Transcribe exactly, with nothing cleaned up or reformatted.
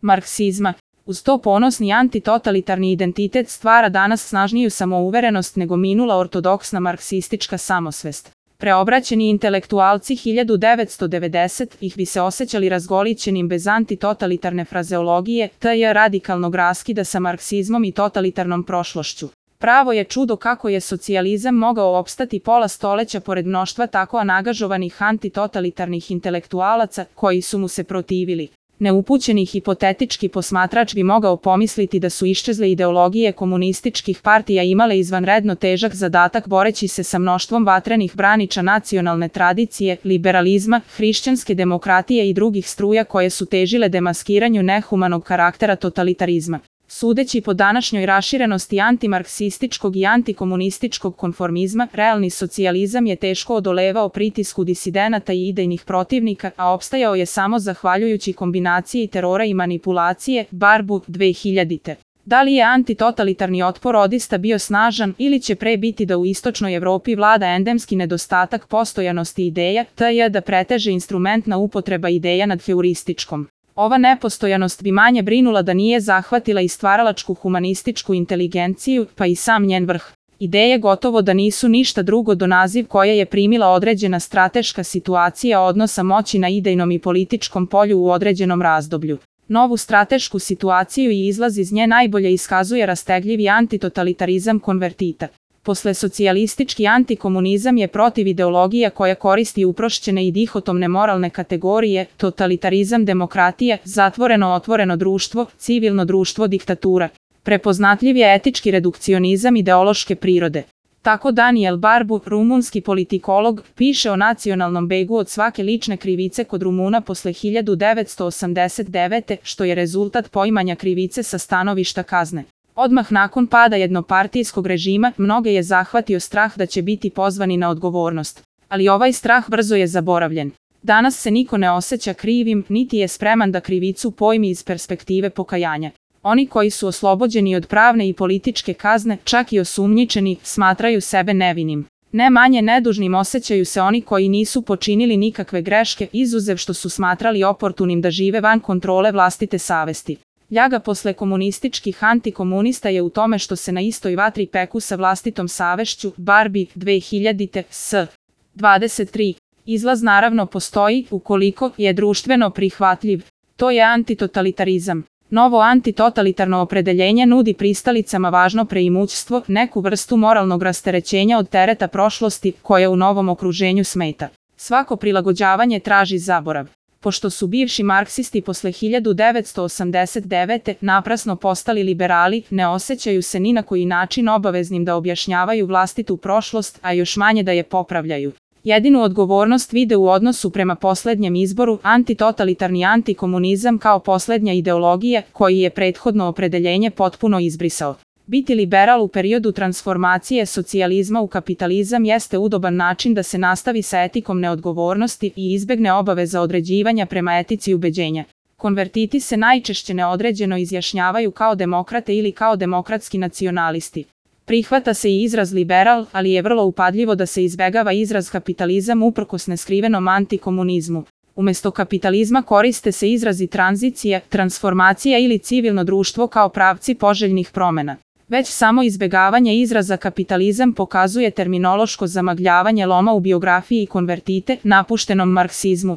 marksizma. Uz to ponosni antitotalitarni identitet stvara danas snažniju samouverenost nego minula ortodoksna marksistička samosvest. Preobraćeni intelektualci hiljadu devetsto devedesetih bi se osjećali razgolićenim bez antitotalitarne frazeologije, te radikalnog raskida sa marksizmom i totalitarnom prošlošću. Pravo je čudo kako je socijalizam mogao opstati pola stoleća pored mnoštva tako angažovanih antitotalitarnih intelektualaca koji su mu se protivili. Neupućeni hipotetički posmatrač bi mogao pomisliti da su iščezle ideologije komunističkih partija imale izvanredno težak zadatak boreći se sa mnoštvom vatrenih braniča nacionalne tradicije, liberalizma, hrišćanske demokratije i drugih struja koje su težile demaskiranju nehumanog karaktera totalitarizma. Sudeći po današnjoj raširenosti antimarksističkog i antikomunističkog konformizma, realni socijalizam je teško odolevao pritisku disidenata i idejnih protivnika, a opstajao je samo zahvaljujući kombinaciji terora i manipulacije, Barbu, dve hiljadite. Da li je antitotalitarni otpor odista bio snažan ili će pre biti da u istočnoj Evropi vlada endemski nedostatak postojanosti ideja, te da preteže instrumentna upotreba ideja nad heurističkom. Ova nepostojanost bi manje brinula da nije zahvatila i stvaralačku humanističku inteligenciju, pa i sam njen vrh. Ideje gotovo da nisu ništa drugo do naziv koje je primila određena strateška situacija odnosa moći na idejnom i političkom polju u određenom razdoblju. Novu stratešku situaciju i izlaz iz nje najbolje iskazuje rastegljivi antitotalitarizam konvertita. Posle socijalistički antikomunizam je protiv ideologija koja koristi uprošćene i dihotomne moralne kategorije, totalitarizam demokratije, zatvoreno otvoreno društvo, civilno društvo diktatura. Prepoznatljiv je etički redukcionizam ideološke prirode. Tako Daniel Barbu, rumunski politikolog, piše o nacionalnom begu od svake lične krivice kod Rumuna posle hiljadu devetsto osamdeset devete. što je rezultat poimanja krivice sa stanovišta kazne. Odmah nakon pada jednopartijskog režima, mnoge je zahvatio strah da će biti pozvani na odgovornost. Ali ovaj strah brzo je zaboravljen. Danas se niko ne osjeća krivim, niti je spreman da krivicu pojmi iz perspektive pokajanja. Oni koji su oslobođeni od pravne i političke kazne, čak i osumnjičeni, smatraju sebe nevinim. Ne manje nedužnim osjećaju se oni koji nisu počinili nikakve greške, izuzev što su smatrali oportunim da žive van kontrole vlastite savesti. Ljaga posle komunističkih antikomunista je u tome što se na istoj vatri peku sa vlastitom savešću, Barbi, dve hiljadite, s. dvadeset tri. Izlaz naravno postoji, ukoliko je društveno prihvatljiv. To je antitotalitarizam. Novo antitotalitarno opredeljenje nudi pristalicama važno preimućstvo, neku vrstu moralnog rasterećenja od tereta prošlosti, koje u novom okruženju smeta. Svako prilagođavanje traži zaborav. Pošto su bivši marksisti posle hiljadu devetsto osamdeset devete. naprasno postali liberali, ne osjećaju se ni na koji način obaveznim da objašnjavaju vlastitu prošlost, a još manje da je popravljaju. Jedinu odgovornost vide u odnosu prema poslednjem izboru, antitotalitarni antikomunizam kao poslednja ideologija, koji je prethodno opredeljenje potpuno izbrisao. Biti liberal u periodu transformacije socijalizma u kapitalizam jeste udoban način da se nastavi sa etikom neodgovornosti i izbegne obaveza određivanja prema etici ubeđenja. Konvertiti se najčešće neodređeno izjašnjavaju kao demokrate ili kao demokratski nacionalisti. Prihvata se i izraz liberal, ali je vrlo upadljivo da se izbegava izraz kapitalizam uprkos neskrivenom antikomunizmu. Umesto kapitalizma koriste se izrazi tranzicija, transformacija ili civilno društvo kao pravci poželjnih promena. Već samo izbegavanje izraza kapitalizam pokazuje terminološko zamagljavanje loma u biografiji konvertite, napuštenom marksizmu.